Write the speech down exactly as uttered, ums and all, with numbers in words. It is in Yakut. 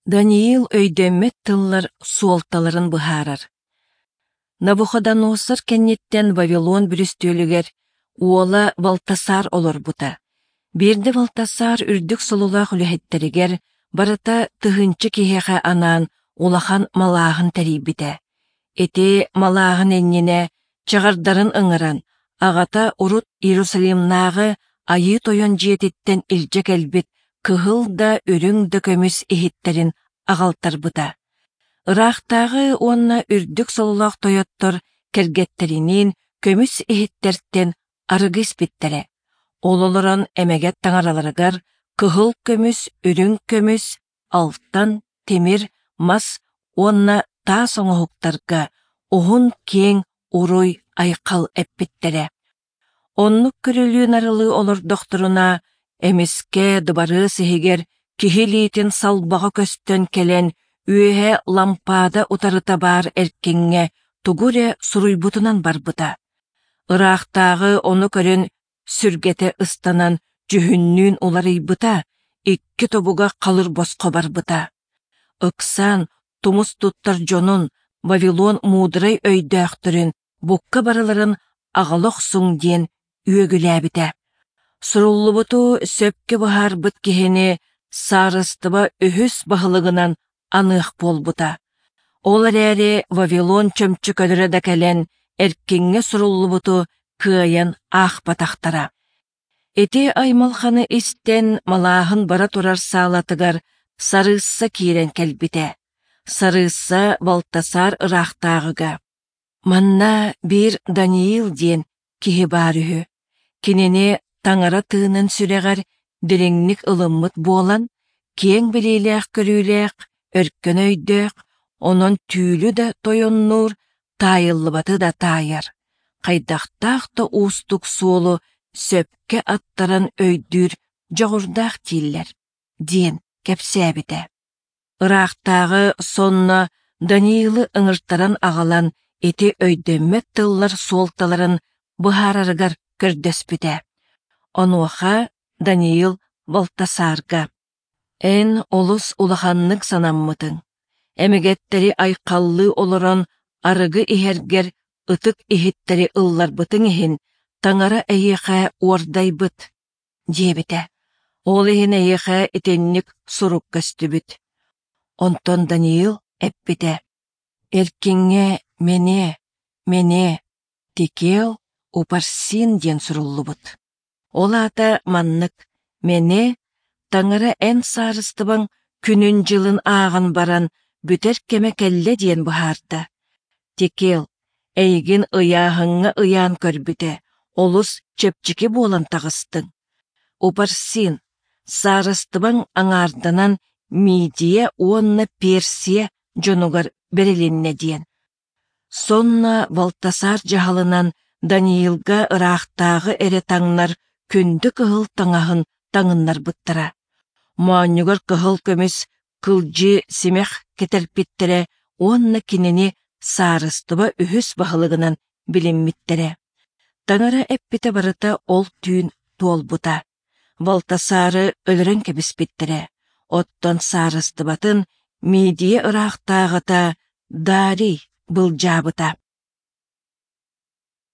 Даниил өйдөммөт тыллар суолталарын быһаарар. Навуходоносор кэнниттэн Вавилон бүрүстүөлүгэр уола Валтасар олорбута. Биирдэ Валтасар үрдүк сололоох үлэһиттэригэр барыта тыһыынча киһиэхэ анаан улахан малааһын тэрийбитэ. Ити малааһын иннинэ чаҕардарын ыҥыран, аҕата урут Иерусалимнааҕы Айыы Тойон дьиэтиттэн илдьэ кэлбит кыһыл да, үрүҥ да көмүс иһиттэрин аҕалтарбыта. Ыраахтааҕы уонна үрдүк сололоох тойоттор кэргэттэриниин көмүс иһиттэртэн арыгы испиттэрэ. Ол олорон эмэгэт таҥараларыгар кыһыл көмүс, үрүҥ көмүс, алтан, тимир, мас уонна таас оҥоһуктарга уһун киэҥ уруй айхал эппиттэрэ. Оннук көрүлүү-нарылыы олордохторуна, эмискэ дыбарыас иһигэр киһи илиитин салбаҕа көстөн кэлэн, үөһэ лампаада утарыта баар эркиҥҥэ тугу эрэ суруйбутунан барбыта. Ыраахтааҕы ону көрөн сүргэтэ ыстанан дьүһүннүүн уларыйбыта, икки тобуга халыр босхо барбыта. Ыксаан тумус туттар дьонун, Вавилон муударай өйдөөхтөрүн букка барыларын аҕала охсуҥ диэн үөгүлээбитэ. Суруллубуту сөпкө быһаарбыт киһини саарыстыба үһүс баһылыгынан аныах буолбута. Ол эрээри Вавилон чөмчөкөлөрө да кэлэн эркиҥҥэ суруллубуту кыайан аахпатахтара. Ити аймалханы истэн малааһын бара турар саалатыгар сарыысса киирэн кэлбитэ. Сарыысса Балтасар ыраахтааҕыга: «Манна биир Даниил диэн киһи баар үһү. Кинини таҥара тыынын сүрэҕэр дириҥник ылыммыт буолан, киэҥ билиилээх-көрүүлээх, өркөн өйдөөх, онон түүлү да тойоннуур, таайыллыбаты да таайар, хайдахтаах да уустук суолу сөпкө аттаран өйдүүр дьоҕурдаах дииллэр» диэн кэпсээбитэ. Ыраахтааҕы сонно Даниилы ыҥыртаран аҕалан ити өйдөммөт тыллар суолталарын быһаарарыгар көрдөспүтэ. Онуоха Даниил Балтасарга: «Эн олус улаханнык санаммытыҥ, эмэгэттэри айхаллыы олорон арыгы иһэргэр ытык иһиттэри ылларбытыҥ иһин Таҥара эйиэхэ уордайбыт», диэбитэ. Ол иһин эйиэхэ итинник сурук көстүбүт. Онтон Даниил эппитэ: «Эркиҥҥэ Мене, Мене, Текел, Упарсин диэн суруллубут. Ол аата маннык: Мене, Таҥара эн саарыстыбаҥ күнүн-дьылын ааҕан баран бүтэр кэмэ кэллэ диэн быһаарда. Текел, эйигин ыйааһыҥҥа ыйаан көрбүтэ, олус чэпчэки буолан таҕыстыҥ. Упарсин, саарыстыбаҥ аҥаарданан Мидия уонна Персия дьонугар бэрилиннэ диэн. Сонно Балтасар дьаһалынан Даниилга ыраахтааҕы эрэ таҥнар күндү кыһыл таҥаһын таҥыннарбыттара. Моонньугар кыһыл көмүс кылдьыы симэх кэтэрпиттэрэ уонна кинини саарыстыба үһүс баһылыгынан билиммиттэрэ. Таҥара эппитэ барыта ол түүн туолбута. Балтасары өлөрөн кэбиспиттэрэ. Оттон саарыстыбатын Мидия ыраахтааҕыта Дарий былдьаабыта.